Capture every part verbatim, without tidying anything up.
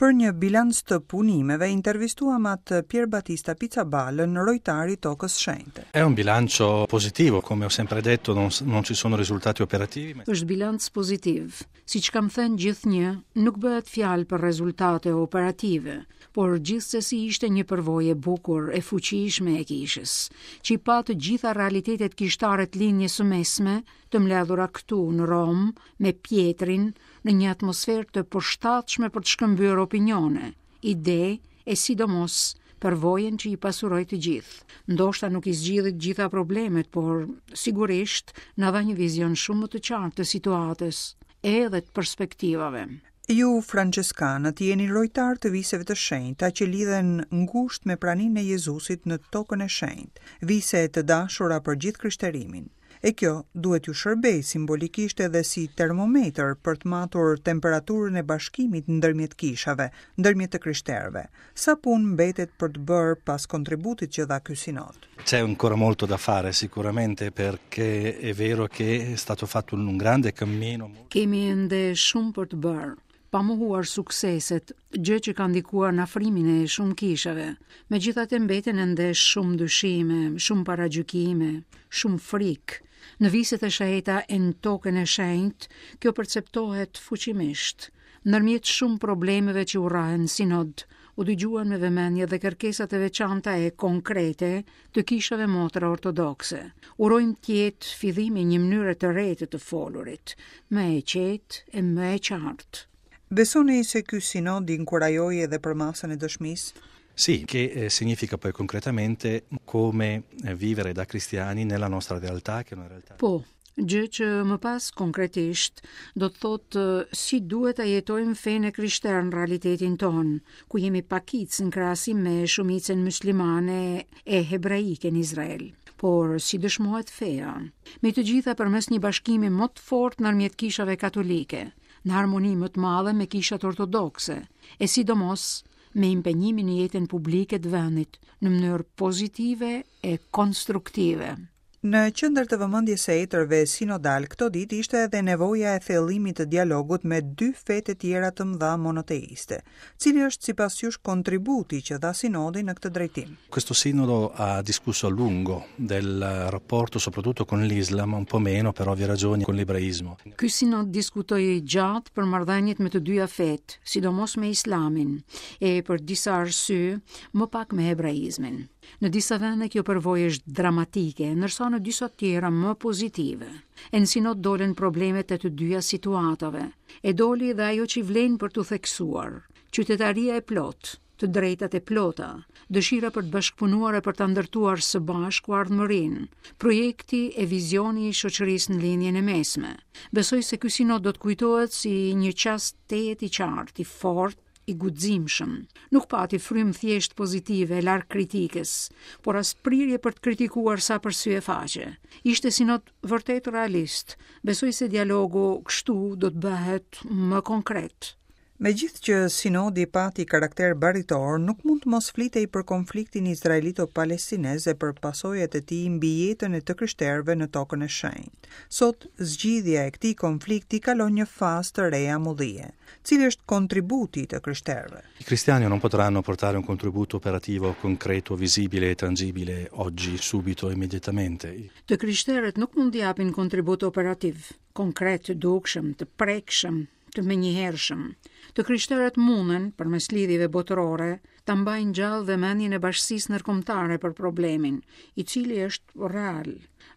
Për një bilanc të punimeve, intervistuam atë Pierbattista Pizzaballën, rojtar i Tokës Shenjte. È un bilancio positivo, come ho sempre detto, non, non ci sono risultati operativi. Ma Është bilanc pozitiv. Siç kam thënë gjithnjë, nuk bëhet fjalë për rezultate operative, por gjithsesi ishte një përvojë e bukur, e fuqishme e kishës, që i pa të gjitha realitetet kishtare të Lindjes së Mesme, të mbledhura këtu në Romë me Pjetrin në një atmosferë të përshtatshme për të shkëmbyer opinione, ide e sidomos përvojën që i pasuroi të gjithë. Ndoshta nuk i zgjidhi të gjitha problemet, por sigurisht na dha një vizion shumë më të qartë të situatës, edhe të perspektivave. Ju, Franceskanët, jeni rojtar të viseve të shenjta që lidhen ngushtë me praninë e Jezusit në tokën e shenjtë, vise të dashura për gjithë krishterimin. E kjo duhet ju shërbej simbolikisht edhe si termometër për të matur temperaturën e bashkimit ndërmjet kishave, ndërmjet të krishterëve. Sa punë mbetet për të bërë pas kontributit që dha ky sinod? C'è ancora molto da fare sicuramente, perché è vero che è stato fatto un grande cammino. Kemi ende shumë për të bërë, pa mohuar sukseset, gjë që ka ndikuar në afrimin e shumë kishave. Megjithatë mbeten ende shumë dyshime, shumë paragjykime, shumë frikë. Në viset e shenjta e në tokën e shenjtë, kjo perceptohet fuqimisht. Ndërmjet shumë problemeve që u rrahen sinod, u dëgjuan me vëmendje dhe kërkesat e veçanta e konkrete të kishave motra ortodokse. Urojmë të jetë fillimi i një mënyre të re të të folurit, më e qetë e më e qartë. Besoni se ky sinod inkurajoi edhe përmasën e dëshmisë? Sì, che eh, significa poi concretamente come eh, vivere da cristiani nella nostra realtà, che è una realtà. Po, gjë që më pas konkretisht do të thotë si duhet ta jetojmë fenë e krishterë në realitetin tonë, ku jemi pakicë në krahasim me shumicën muslimane e hebraike në Izrael. Por si dëshmohet feja, me të gjitha përmes një bashkimi më të fortë ndërmjet kishave katolike, në harmoni më të madhe me kishat ortodokse, e sidomos me impenjimin në jetën publike të vendit në mënyrë pozitive e konstruktive. Në qendër të vëmendjes së etërve sinodal këto ditë ishte edhe nevoja e thellimit të dialogut me dy fetë tjera të mëdha monoteiste. Cili është sipas jush kontributi që dha sinodi në këtë drejtim? Questo sinodo ha discusso a lungo del rapporto soprattutto con l'Islam, un po' meno per ovvie ragioni con l'ebraismo. Ky sinod diskutoi gjatë për marrëdhëniet me të dyja fetë, sidomos me Islamin, e për disa arsye më pak me hebraizmin. Në disa vende kjo përvojë është dramatike, ndërsa në disa tjera më pozitive. E në sinod dolën problemet e të dyja situatave. E doli dhe ajo që vlen për t'u theksuar, qytetaria e plot, të drejtat e plota, dëshira për të bashkëpunuar e për ta ndërtuar së bashku ardhmërinë, projekti e vizioni i shoqërisë në Lindjen e Mesme. Besoj se ky sinod do të kujtohet si një çast tejet i qartë, i fortë, i guximshëm. Nuk pati frymë thjesht pozitive, larg kritikës, por as prirje për të kritikuar sa për sy e faqe. Ishte sinod vërtet realist. Besoj se dialogu kështu do të bëhet më konkret. Megjithë që sinodi pati karakter baritor, nuk mund të mos flitej për konfliktin izraelito-palestinez e për pasojat e tij mbi jetën e të krishterëve në tokën e shenjtë. Sot, zgjidhja e këtij konflikti kalon një fazë të re amullie. Cili është kontributi i të krishterëve? I cristiani non potranno portare un contributo operativo concreto, visibile e tangibile oggi, subito, immediatamente. Të krishterët nuk mund të japin kontribut operativ, konkret, të dukshëm, të prekshëm, të menjëhershëm. Të krishterët munden, përmes lidhjeve botërore, ta mbajnë gjallë vëmendjen e bashkësisë ndërkombëtare për problemin, i cili është real.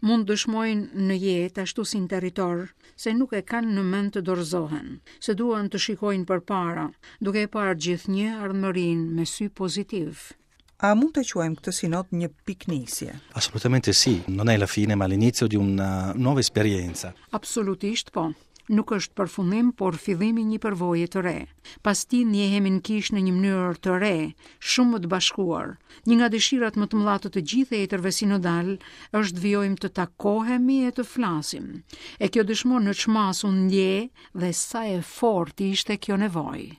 Mund dëshmojnë në jetë, ashtu si në territor, se nuk e kanë në mend të dorëzohen, se duan të shikojnë përpara, duke e parë gjithnjë ardhmërinë me sy pozitiv. A mund të quajmë këtë sinod një pikënisje? Assolutamente sì, non è la fine, ma l'inizio di una nuova esperienza. Absolutisht po. Nuk është përfundim, por fillimi i një përvoje të re. Pas tij ndjehemi në kishë në një mënyrë të re, shumë më të bashkuar. Një nga dëshirat më të mëdha të të gjithë etërve sinodal është të vijojmë të takohemi e të flasim. E kjo dëshmon në ç'masë u ndje dhe sa e fortë ishte kjo nevojë.